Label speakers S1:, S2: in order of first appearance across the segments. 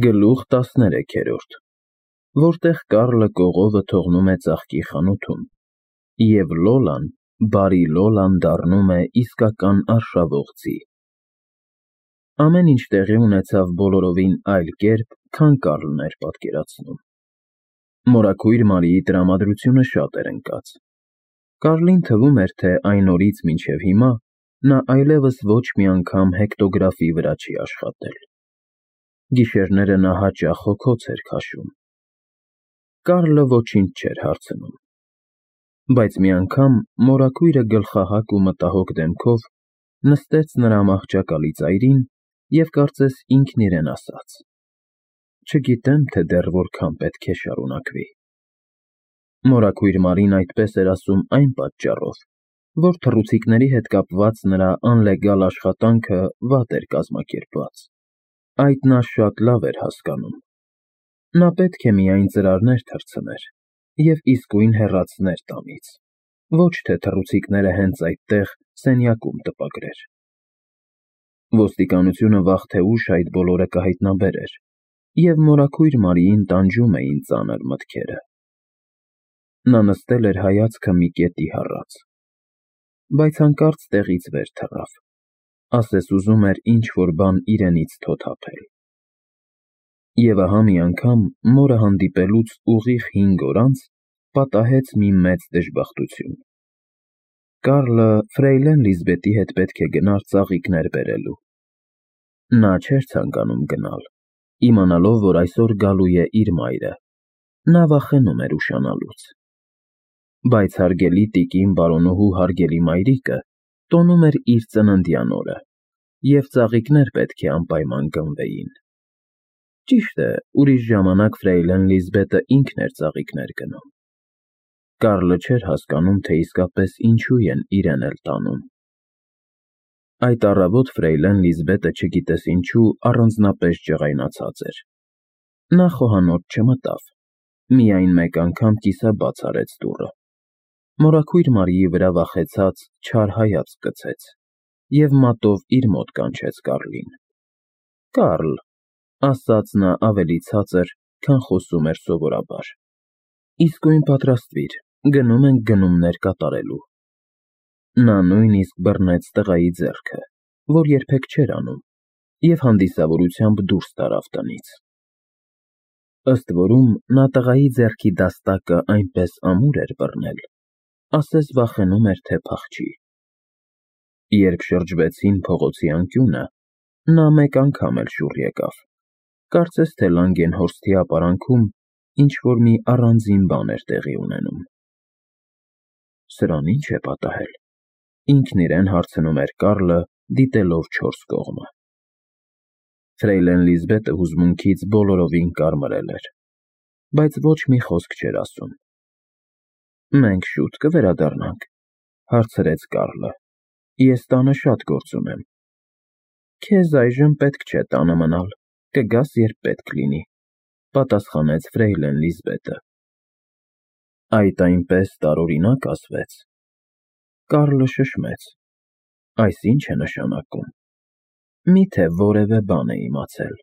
S1: Գլուխ 13, որտեղ Կարլը կողովը թողնում է ծաղկի խանութում, և Լոլան, բարի Լոլան դառնում է իսկական արշավող ձի։ Ամեն ինչ տեղի ունեցավ բոլորովին այլ կերպ, քան Կարլն էր պատկերացնում։ Մորաքույր Մարիի տրամադրությունը շատ էր ընկած։ Կարլին թվում էր, թե այն օրից մինչև հիմա նա այլևս ոչ մի անգամ հեկտոգրաֆի վրա չի աշխատել։ Գիշերները նա հաճախ հոգոց էր քաշում։ Կարլը ոչինչ չէր հարցնում։ Բայց մի անգամ մորաքույրը գլխահակ ու մտահոգ դեմքով նստեց նրա մահճակալի ծայրին և կարծես ինքն իրեն ասաց. «Չգիտեմ, թե դեռ որքան պետք է շարունակվի»։ Մորաքույր Մարին այդպես էր ասում այն պատճառով, որ թռուցիկների հետ կապված նրա անլեգալ աշխատանքը վատ էր կազմակերպված։ Այդ նա շատ լավ էր հասկանում։ Նա պետք է միայն ծրարներ թռցներ և իսկույն հեռացներ տանից, ոչ թե թռուցիկները հենց այդտեղ սենյակում տպագրեր։ Ոստիկանությունը վաղ թե ուշ այդ բոլորը կհայտնաբերեր, և մորաքույր Մարիին տանջում էին ծանր մտքերը։ Նա նստել էր հայացքը մի կետի հառած, բայց հանկարծ տեղից վեր թռավ, ասես ուզում էր ինչ-որ բան իրենից թոթափել։ Եվ ահա մի անգամ, մորը հանդիպելուց ուղիղ 5 օր անց, պատահեց մի մեծ դժբախտություն։ Կարլը ֆրեյլեն Լիզբետի հետ պետք է գնար ծաղիկներ բերելու։ Նա չէր ցանկանում գնալ, իմանալով, որ այսօր գալու է իր մայրը։ Նա վախենում էր ուշանալուց։ Բայց հարգելի տիկին բարոնոհու հարգելի մայրիկը տոնում էր իր ծննդյան օրը, և ծաղիկներ պետք է անպայման գնվեին։ Ճիշտ է, ուրիշ ժամանակ ֆրեյլեն Լիզբետը ինքն էր ծաղիկներ գնում։ Կարլը չէր հասկանում, թե իսկապես ինչու են իրեն էլ տանում։ Այդ առավոտ ֆրեյլեն Լիզբետը չգիտես ինչու առանձնապես ջղայնացած էր։ Նա խոհանոց չմտավ, միայն մեկ անգամ կիսաբաց արեց դուռը։ Մորաքույր Մարիի վրա վախեցած չար հայացք գցեց և մատով իր մոտ կանչեց Կարլին։ «Կարլ», ասաց նա ավելի ցածր, քան խոսում էր սովորաբար, «իսկույն պատրաստվիր, գնում ենք գնումներ կատարելու»։ Նա նույնիսկ բռնեց տղայի ձեռքը, որ երբեք չէր անում, և հանդիսավորությամբ դուրս տարավ տնից։ Ըստ որում, նա տղայի ձեռքի դաստակը այնպես ամուր էր բռնել, ասես վախենում էր, թե փախչի։ Երբ շրջվեցին փողոցի անկյունը, նա մեկ անգամ էլ շուռ եկավ, կարծես թե Լանգենհորսթի ապարանքում ինչ-որ մի առանձին բան էր տեղի ունենում։ «Սրան ի՞նչ է պատահել», ինքն իրեն հարցնում էր Կարլը, դիտելով չորս կողմը։ Ֆրեյլեն Լիզբետը հուզմունքից բոլորովին կարմրել էր, բայց ոչ մի խոսք չէր ասում։ «Մենք շուտ կվերադառնանք», հարցրեց Կարլը։ «Ես տանը շատ գործ ունեմ»։ «Քեզ այժմ պետք չէ տանը մնալ, կգաս, երբ պետք լինի», պատասխանեց ֆրեյլեն Լիզբետը։ Այդ այնպես տարօրինակ ասվեց։ Կարլը շշմեց։ Այս ի՞նչ է նշանակում։ Մի՞թե որևէ բան է իմացել։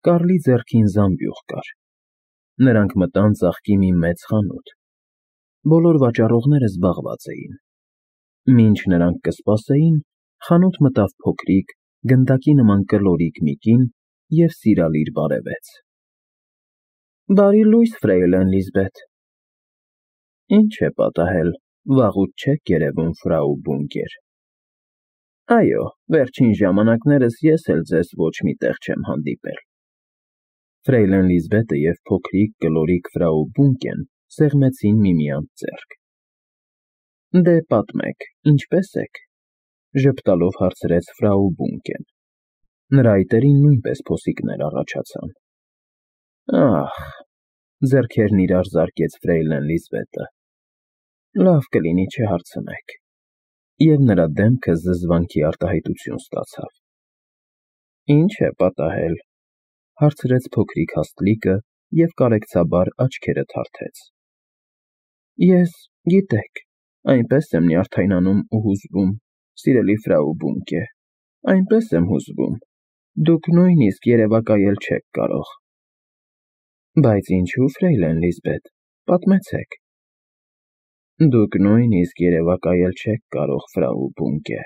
S1: Կարլի ձեռքին զամբյուղ կար։ Նրանք մտան ծաղկի մի մեծ խանութ։ Բոլոր վաճառողները զբաղված էին։ Մինչ նրանք կսպասեին, խանութ մտավ փոքրիկ, գնդակի նման կլորիկ մի կին և սիրալիր բարևեց։ «Բարի լույս, ֆրեյլեն Լիզբետ»։ «Ինչ է պատահել, վաղուց չեք երևում, ֆրау Բունկեր»։ «Այո, վերջին ժամանակներս ես էլ ձեզ ոչ մի տեղ չեմ հանդիպել»։ Ֆրեյլեն Լիզբետը և փոքրիկ կլորիկ ֆրау Բունկեն սեղմեցին միմյանց ձեռք։ «Դե պատմեք, ինչպե՞ս եք», ժպտալով հարցրեց ֆրау Բունկեն։ Նրա այտերին նույնպես փոսիկներ առաջացան։ «Ախ», ձեռքերն իրար զարկեց ֆրեյլեն Լիզբետը, «լավ կլինի չհարցնեք», և նրա դեմքը զզվանքի արտահայտություն ստացավ։ «Ինչ է պատահել», հարցրեց փոքրիկ հաստլիկը և կարեկցաբար աչքերը թարթեց։ «Ես, գիտեք, այնպես եմ նյարդայնանում ու հուզվում, սիրելի ֆրау Բունկե, այնպես եմ հուզվում, Դուք նույնիսկ երևակայել չեք կարող։ Բայց ինչու, ֆրեյլեն Լիզբետ, պատմեցեք։ Դուք նույնիսկ երևակայել չեք կարող, ֆրաու Բունկե։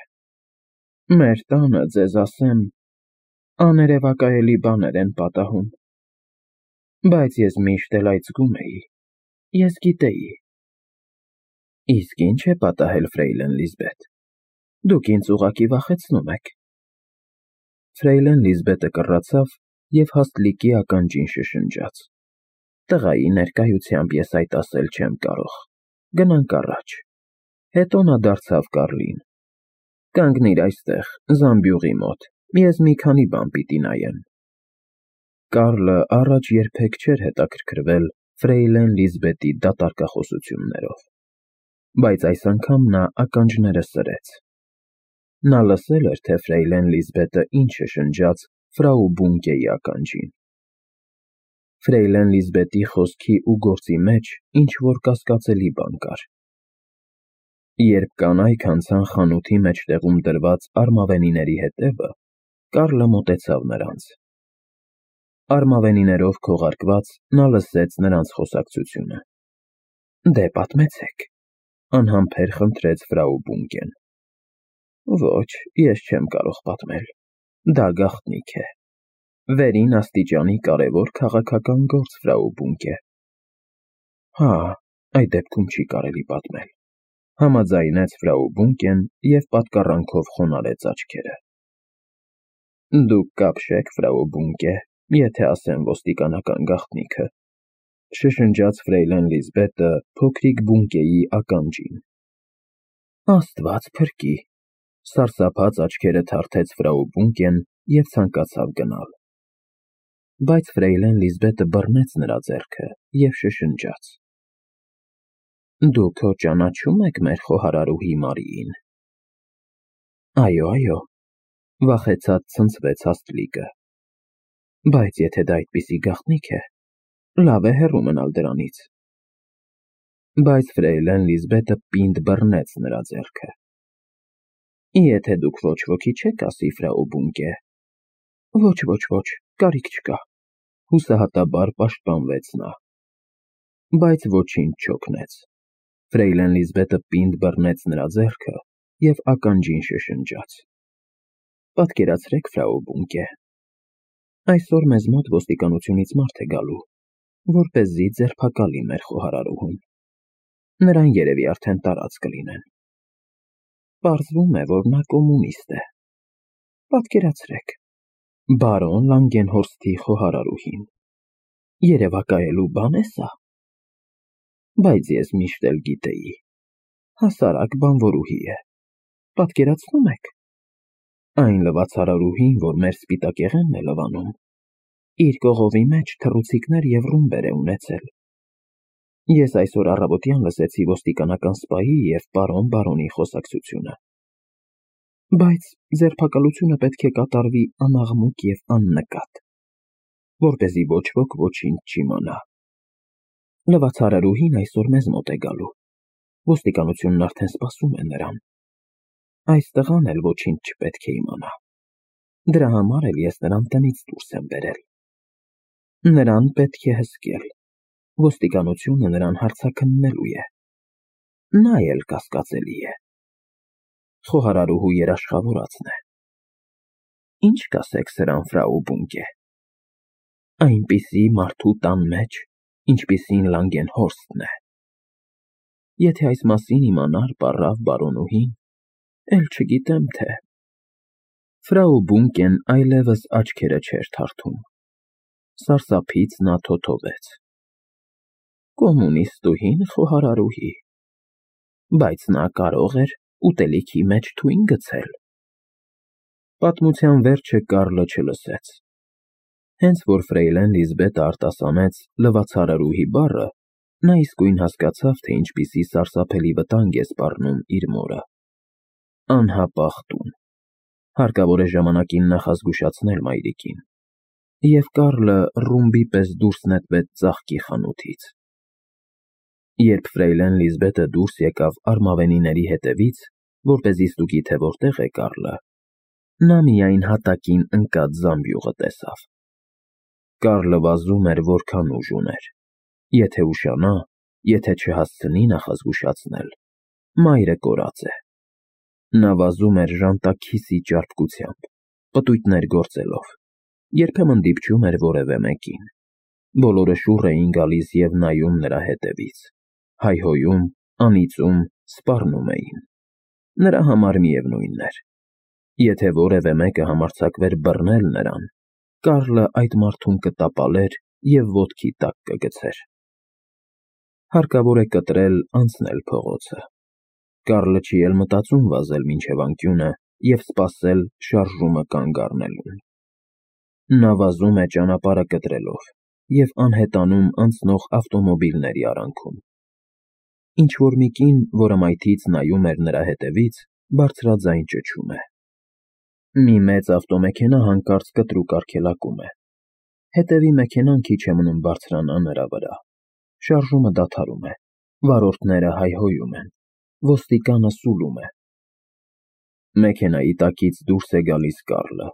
S1: Մեր տանը, ձեզ ասեմ, աներևակայելի բաներ են պատահում։ Բայց ես միշտ էլ այծգում էի, ես գիտեի։ Իսկ ինչ է պատահել, ֆրեյլեն Լիզբետ։ Դուք ինձ ուղղակի վախեցնում եք։ Ֆրեյլեն Լիզբետը կռացավ և հաստլիկի ականջին շշնջաց. Տղայի ներկայությամբ ես այդ ասել չեմ կարող։ Գնանք առաջ։ Հետո նա դարձավ Կարլին. Կանգնիր այստեղ, զամբյուղի մոտ, ես մի քանի բան պիտի նայեմ։ Կարլը առաջ երբեք չէր հետաքրքրվել ֆրեյլեն Լիզբետի դատարկախոսություններով, բայց այս անգամ նա ականջները սրեց։ Նա լսել էր, թե ֆրեյլեն Լիզբետը ինչ շշնջաց ֆրաու Բունկեի ականջին։ Ֆրեյլեն Լիզբետի խոսքի ու գործի մեջ ինչ-որ կասկածելի բան կար։ Երբ կանայք անցան խանութի մեջտեղում դրված արմավենիների հետևը, Կարլը մոտեցավ նրանց։ Արմավենիներով քողարկված նա լսեց նրանց խոսակցությունը։ Դե պատմեցեք, անհամբեր խնդրեց ֆրաու Բունկեն։ Ոչ, ես չեմ կարող պատմել։ Դա գաղտնիք է։ Վերին աստիճանի կարևոր քաղաքական գործ, ֆրաու Բունկե։ Հա, այդ դեպքում չի կարելի պատմել, համաձայնեց ֆրաու Բունկեն և պատկառանքով խոնարհեց աչքերը։ Դուք կապշեք, ֆրաու Բունկե, եթե ասեմ ոստիկանական գաղտնիքը, շշնջաց ֆրեյլեն Լիզբետը փոքրիկ Բունկեի ականջին։ Աստված փրկի, սարսափած աչքերը թարթեց ֆրաու Բունկեն և ցանկացավ գնալ։ Բայց ֆրեյլեն Լիզբետը բռնեց նրա ձեռքը և շշնջաց. Դուք հո ճանաչում եք մեր խոհարարուհի Մարիին։ Այո, վախեցած ցնցվեց հաստլիկը։ Բայց եթե դա այդպիսի գաղտնիք է, լավ է հեռու մնալ դրանից։ Բայց ֆրեյլեն Լիզբետը պինդ բռնեց նրա ձեռքը։ Եթե դուք ոչ ոքի չեք ասի, ֆրաու Բունկե։ Ոչ, կարիք չկա, հուսահատաբար պաշտպանվեց նա։ Բայց ոչինչ չօգնեց։ Ֆրեյլեն Լիզբետը պինդ բռնեց նրա ձեռքը և ականջին շշնջաց. Պատկերացրեք, ֆրաու Բունկե, այսօր մեզ մոտ ոստիկանությունից մարդ է գալու, որպեսզի ձերբակալի մեր խոհարարուհուն։ Նրան երևի արդեն տարած կլինեն։ Պարզվում է, որ նա կոմունիստ է։ Պատկերացրեք, բարոն Լանգենհորսթի խոհարարուհին։ Երևակայելու բան է սա։ Բայց ես միշտ էլ գիտեի, հասարակ բանվորուհի է։ Պատկերացնում եք։ Այն լվացարարուհին, որ մեր սպիտակեղենն է լվանում, իր կողովի մեջ թռուցիկներ և ռումբեր է ունեցել։ Ես այսօր առավոտյան լսեցի ոստիկանական սպայի և պարոն-բարոնի խոսակցությունը։ Բայց ձերբակալությունը պետք է կատարվի անաղմուկ և աննկատ, որպեսզի ոչ ոք ոչինչ չիմանա։ Լվացարարուհին այսօր մեզ մոտ է գալու։ Ոստիկանությունն արդեն սպասում է նրան։ Այս տղան էլ ոչինչ չպետք է իմանա։ Դրա համար էլ ես նրան տնից դուրս եմ բերել։ Նրան պետք է հսկել։ Ոստիկանությունը նրան հարցաքննելու է։ Նա էլ կասկածելի է։ Խոհարարուհու երաշխավորածն է։ Ինչ կասեք սրան, ֆրաու Բունկե։ Այնպիսի մարդու տան մեջ, ինչպիսին Լանգենհորսթն է։ Եթե այս մասին իմանար պառավ բարոնուհին, էլ չգիտեմ թե… Ֆրաու Բունկեն այլևս աչքերը չէր թարթում։ Սարսափից նա թոթովեց. Կոմունիստուհին խոհարարուհի։ Բայց նա կարող էր ուտելիքի մեջ թույն գցել։ Պատմության վերջը Կարլը չլսեց։ Հենց որ ֆրեյլեն Լիզբետը արտասանեց լվացարարուհի բառը, նա իսկույն հասկացավ, թե ինչպիսի սարսափելի վտանգ է սպառնում իր մորը։ Անհապաղ տուն։ Հարկավոր է ժամանակին նախազգուշացնել մայրիկին։ Եվ Կարլը ռումբի պես դուրս նետվեց ծաղկի խանութից։ Երբ ֆրեյլեն Լիզբետը դուրս եկավ արմավենիների հետևից, որպեսզի ստուգի, թե որտեղ է Կարլը, Նա միայն հատակին ընկած զամբյուղը տեսավ։ Կարլը վազում էր, որքան ուժ ուներ։ Եթե ուշանա, եթե չհասցնի նախազգուշացնել, մայրը կորած է։ Նա վազում էր ժանտաքիսի ճարպկությամբ, պտույտներ գործելով, երբեմն դիպչում էր որևէ մեկին։ Բոլորը շուռ էին գալիս և նայում նրա հետևից, հայհոյում, անիծում, սպառնում էին։ Նրա համար միևնույնն էր։ Եթե որևէ մեկը համարձակվեր բռնել նրան, Կարլը այդ մարդուն կտապալեր և ոտքի տակ կգցեր։ Հարկավոր է կտրել, անցնել փողոցը։ Կարլը չի էլ մտածում վազել մինչև անկյունը և սպասել շարժումը կանգ առնելուն։ Նա վազում է ճանապարհը կտրելով և անհետանում անցնող ավտոմոբիլների արանքում։ Ինչ-որ մի կին, որը մայթից նայում էր նրա հետևից, բարձրաձայն ճչում է։ Մի մեծ ավտոմեքենա հանկարծ կտրուկ արգելակում է։ Հետևի մեքենան քիչ է մնում բարձրանա նրա վրա։ Շարժումը դադարում է։ Վարորդները հայհոյում են։ Ոստիկանը սուլում է։ Մեքենայի տակից դուրս է գալիս Կարլը,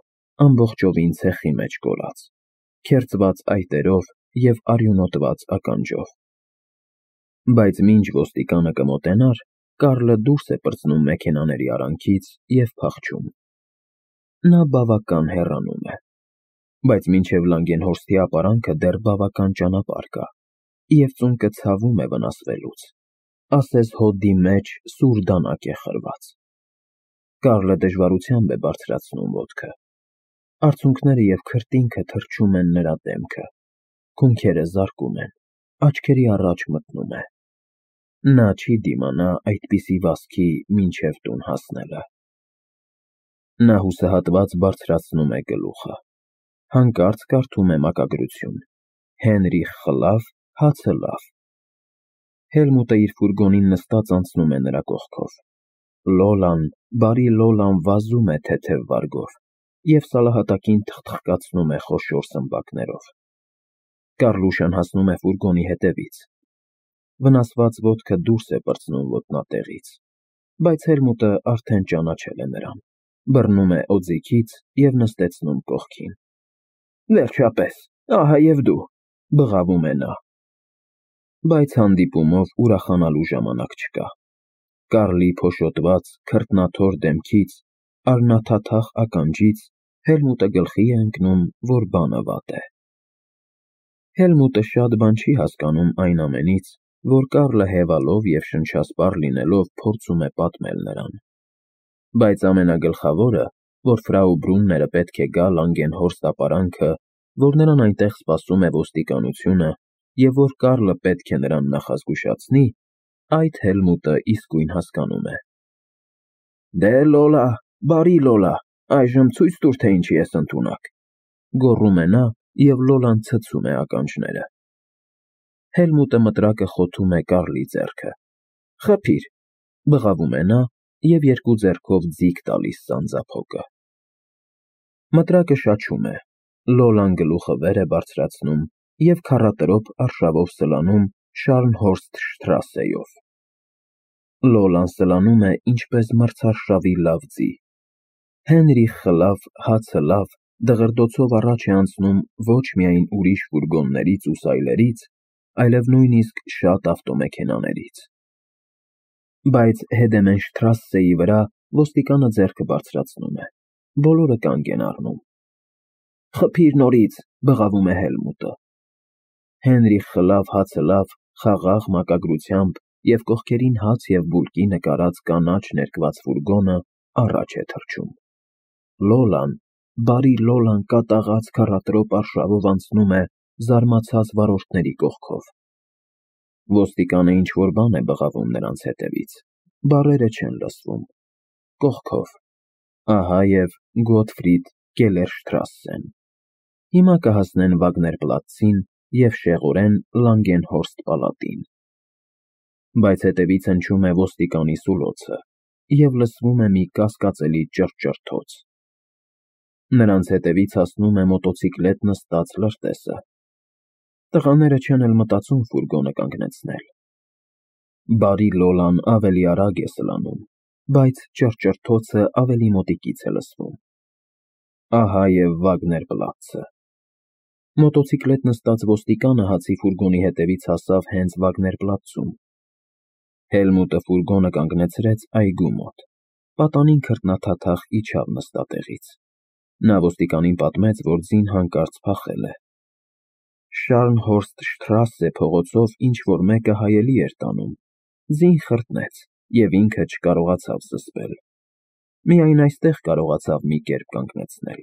S1: ամբողջովին ցեխի մեջ կորած, քերծված այտերով և արյունոտված ականջով։ Բայց մինչ ոստիկանը կմոտենար, Կարլը դուրս է պրծնում մեքենաների արանքից և փախչում։ Նա բավական հեռանում է, բայց մինչև Լանգենհորսթի ապարանքը դեռ բավական ճանապարհ կա, և ծունկը ցավում է վնասվելուց, ասես հոդի մեջ սուր դանակ է խրված։ Կարլը դժվարությամբ է բարձրացնում ոտքը։ Արցունքները և քրտինքը թրջում են նրա դեմքը, քունքերը զարկում են, աչքերի առաջ մտնում է։ Նա չի դիմանա այդպիսի վազքի մինչև տուն հասնելը։ Նա հուսահատված բարձրացնում է գլուխը։ Հանկարծ կարդում է մակագրություն. Հենրիխ խլավ, հացը լավ։ Հելմուտը իր ֆուրգոնին նստած անցնում է նրա կողքով։ Լոլան, բարի Լոլան վազում է թեթև վարգով և սալահատակին թխթխկացնում է խոշոր սմբակներով։ Կարլուշան հասնում է ֆուրգոնի հետևից։ Վնասված ոտքը դուրս է պրծնում ոտնատեղից, բայց Հելմուտը արդեն ճանաչել է նրան, բռնում է օձիքից և նստեցնում կողքին։ Վերջապես, ահա և դու, բղավում է նա։ Բայց հանդիպումով ուրախանալու ժամանակ չկա։ Կարլի փոշոտված, քրտնաթոր դեմքից, արմնաթաթախ ականջից Հելմուտը գլխի է ընկնում, որ բանը վատ է։ Հելմուտը շատ բան չի հասկանում այն ամենից, որ Կարլը հևալով և շնչասպառ լինելով փորձում է պատմել նրան։ Բայց ամենագլխավորը, որ ֆրау Բրունները պետք է գա Լանգենհորստ ապարանքը, որ նրան այնտեղ սպասում է ոստիկանությունը և որ Կարլը պետք է նրան նախազգուշացնի, այդ Հելմուտը իսկույն հասկանում է։ Դե Լոլա, բարի Լոլա, այժմ ցույց տուր, թե ինչի ես ընդունակ, գոռում է նա և Լոլան ցցում է ականջները։ Հելմուտը մտրակը խոթում է Կարլի ձեռքը։ Խփիր, բղավում է նա և երկու ձեռքով ձիգ տալիս սանձափոկը։ Մտրակը շաչում է, Լոլան գլուխը վեր է բարձրացնում և քառատրոփ արշավով սլանում Շարնհորսթշտրասեով։ Լոլան սլանում է ինչպես մրցարշավի լավ ձի։ Հենրիխ խլավ, հացը լավ դղրդոցով առաջ է անցնում ոչ միայն ուրիշ ֆուրգոններից ու սայլերից, այլև նույնիսկ շատ ավտոմեքենաներից։ Բայց Հեդեմենշտրասսեի վրա ոստիկանը ձեռքը բարձրացնում է։ Բոլորը կանգ են առնում։ Խփիր նորից, բղավում է Հելմուտը։ Հենրիխ խլավ, հացը լավ խաղաղ մակագրությամբ և կողքերին հաց և բուլկի նկարած կանաչ ներկված ֆուրգոնը առաջ է թռչում։ Լոլան, բարի Լոլան կատաղած քառատրոփ արշավով անցնում է զարմացած վարորդների կողքով։ Ոստիկանը ինչ-որ բան է բղավում նրանց հետևից, բառերը չեն լսվում։ Կողքով։ Ահա և Գոտֆրիդ Կելերշտրասսեն։ Հիմա կհասնեն Վագներպլացցին և շեղորեն Լանգենհորստ պալատին։ Բայց հետևից հնչում է ոստիկանի սուլոցը և լսվում է մի կասկածելի ճռճռթոց։ Նրանց հետևից հասնում է մոտոցիկլետ նստած լրտեսը։ Տղաները չեն էլ մտածում ֆուրգոնը կանգնեցնել։ Բարի Լոլան ավելի արագ է սլանում, բայց ճռճռթոցը ավելի մոտիկից է լսվում։ Ահա և Վագներպլացը։ Մոտոցիկլետ նստած ոստիկանը հացի ֆուրգոնի հետևից հասավ հենց Վագներպլացում։ Հելմուտը ֆուրգոնը կանգնեցրեց այգու մոտ։ Պատանին քրտնաթաթախ իջավ նստատեղից։ Նա ոստիկանին պատմեց, որ ձին հանկարծ փախել է։ Շարնհորստ փողոցով ինչ-որ մեկը հայելի էր տանում։ Ձին խրտնեց, և ինքը չկարողացավ զսպել։ Միայն այստեղ կարողացավ մի կերպ կանգնեցնել։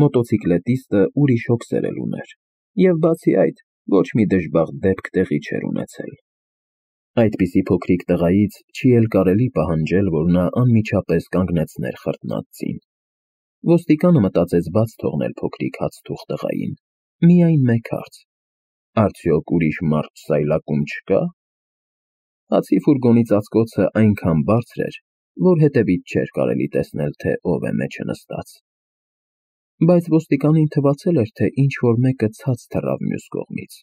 S1: Մոտոցիկլետիստը ուրիշ հոգսեր էլ ուներ, և բացի այդ, ոչ մի դժբախտ դեպք տեղի չէր ունեցել։ Այդպիսի փոքրիկ տղայից չի էլ կարելի պահանջել, որ նա անմիջապես կանգնեցներ խրտնած ձին։ Ոստիկանը մտածեց բաց թողնել փոքրիկ հացթուխ տղային։ Միայն մեկ հարց. արդյոք ուրիշ մարդ սայլակում չկա։ Հացի ֆուրգոնի ծածկոցը այնքան բարձր էր, որ հետևից չէր կարելի տեսնել, թե ով է մեջը նստած։ Բայց ոստիկանին թվացել էր, թե ինչ-որ մեկը ցած թռավ մյուս կողմից։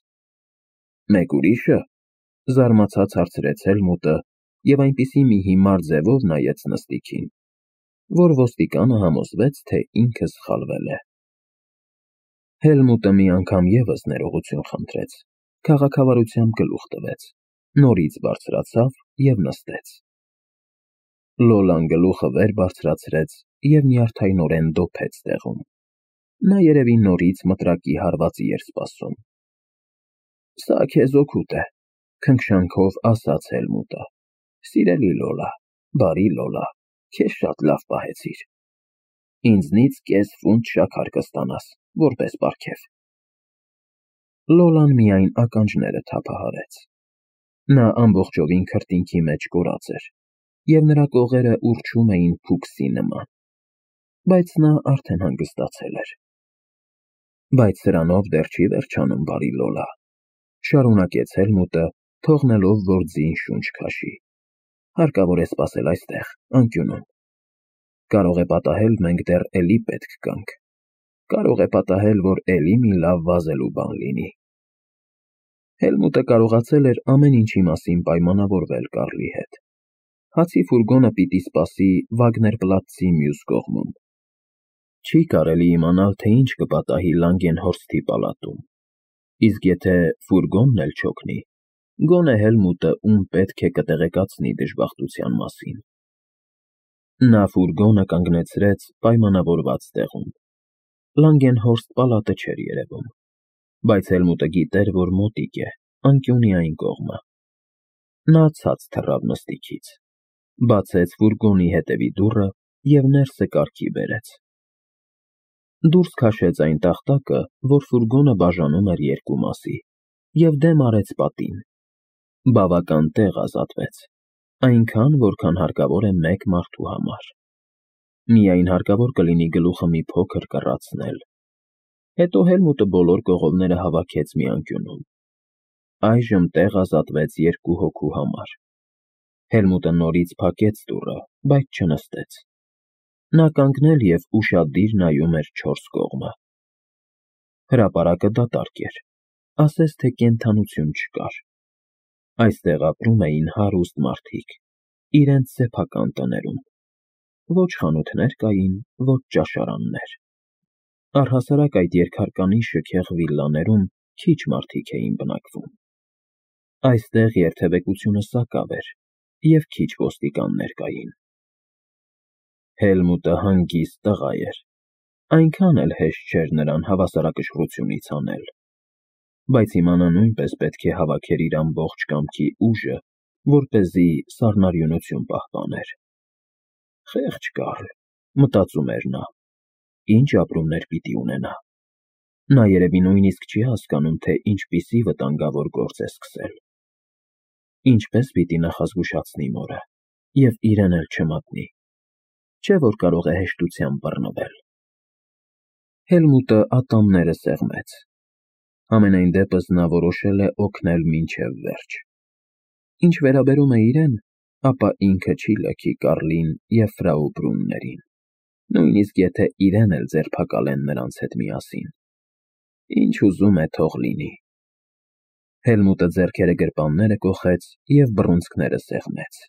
S1: Մեկ ուրիշը, զարմացած հարցրեց Հելմուտը և այնպիսի մի հիմար ձևով նայեց նստիքին, որ ոստիկանը համոզվեց, թե ինքը սխալվել է։ Հելմուտը մի անգամ ևս ներողություն խնդրեց, քաղաքավարությամբ գլուխ տվեց, նորից բարձրացավ և նստեց։ Լոլան գլուխը վեր բարձրացրեց և նյարդայնորեն դոփեց տեղում։ Նա երևի նորից մտրակի հարվածի էր սպասում։ Սա քեզ օգուտ է, քնքշանքով ասաց Հելմուտը։ Սիրելի Լոլա, բարի Լոլա, քեզ շատ լավ պահեցիր։ Ինձնից կես ֆունտ շաքար կստանաս, որպես պարգև։ Լոլան միայն ականջները թափահարեց։ Նա ամբողջովին քրտինքի մեջ կորած էր, և նրա կողերը ուռչում էին փուքսի նման։ Բայց նա արդեն հանգստացել էր։ Բայց սրանով դեռ չի վերջանում, բարի Լոլա, շարունակեց Հելմուտը, թողնելով, որ ձին շունչ քաշի։ Հարկավոր է սպասել այստեղ, անկյունում։ Կարող է պատահել, մենք դեռ էլի պետք գանք։ Կարող է պատահել, որ էլի մի լավ վազելու բան լինի։ Հելմուտը կարողացել էր ամեն ինչի մասին պայմանավորվել Կարլի հետ։ Հացի ֆուրգոնը պիտի սպասի Վագներպլացցի մյուս կողմում։ Չի կարելի իմանալ, թե ինչ կպատահի Լանգենհորսթի պալատում։ Իսկ եթե ֆուրգոնն էլ չօգնի, գոնե Հելմուտը ում պետք է կտեղեկացնի դժբախտության մասին։ Նա ֆուրգոնը կանգնեցրեց պայմանավորված տեղում։ Լանգենհորստ պալատը չէր երևում, բայց Հելմուտը գիտեր, որ մոտիկ է, անկյունի այն կողմը։ Նա ցած թռավ նստիքից, բացեց ֆուրգոնի հետևի դուռը և ներսը կարգի բերեց։ Դուրս քաշեց այն տախտակը, որ ֆուրգոնը բաժանում էր երկու մասի, և դեմ արեց պատին։ Բավական տեղ ազատվեց, այնքան, որքան հարկավոր է մեկ մարդու համար։ Միայն հարկավոր կլինի գլուխը մի փոքր կռացնել։ Հետո Հելմուտը բոլոր կողովները հավաքեց մի անկյունում։ Այժմ տեղ ազատվեց երկու հոգու համար։ Հելմուտը նորից փակեց դուռը, բայց չնստեց։ Նա կանգնել և ուշադիր նայում էր չորս կողմը։ Հրապարակը դատարկ էր, ասես թե կենդանություն չկար։ Այստեղ ապրում էին հարուստ մարդիկ, իրենց սեփական տներում։ Ոչ խանութներ կային, ոչ ճաշարաններ։ Առհասարակ այդ երկհարկանի շքեղ վիլլաներում քիչ մարդիկ էին բնակվում։ Այստեղ երթևեկությունը սակավ էր, և քիչ ոստիկաններ կային։ Հելմուտը հանգիստ տղա էր, այնքան էլ հեշտ չէր նրան հավասարակշռությունից հանել։ Բայց հիմա նա նույնպես պետք է հավաքեր իր ամբողջ կամքի ուժը, որպեսզի սառնարյունություն պահպաներ։ Խեղճ Կարլ, մտածում էր նա, ինչ ապրումներ պիտի ունենա։ Նա երևի նույնիսկ չի հասկանում, թե ինչպիսի վտանգավոր գործ է սկսել։ Ինչպես պիտի նախազգուշացնի մորը, և իրեն էլ չմատնի։ Չէ՞ որ կարող է հեշտությամբ բռնվել։ Հելմուտը ատամները սեղմեց։ Համենայն դեպս նա որոշել է օգնել մինչև վերջ։ Ինչ վերաբերում է իրեն, ապա ինքը չի լքի Կարլին և ֆրау Բրուններին, նույնիսկ եթե իրեն էլ ձերբակալեն նրանց հետ միասին։ Ինչ ուզում է, թող լինի։ Հելմուտը ձեռքերը գրպանները կոխեց և բռունցքները սեղմեց։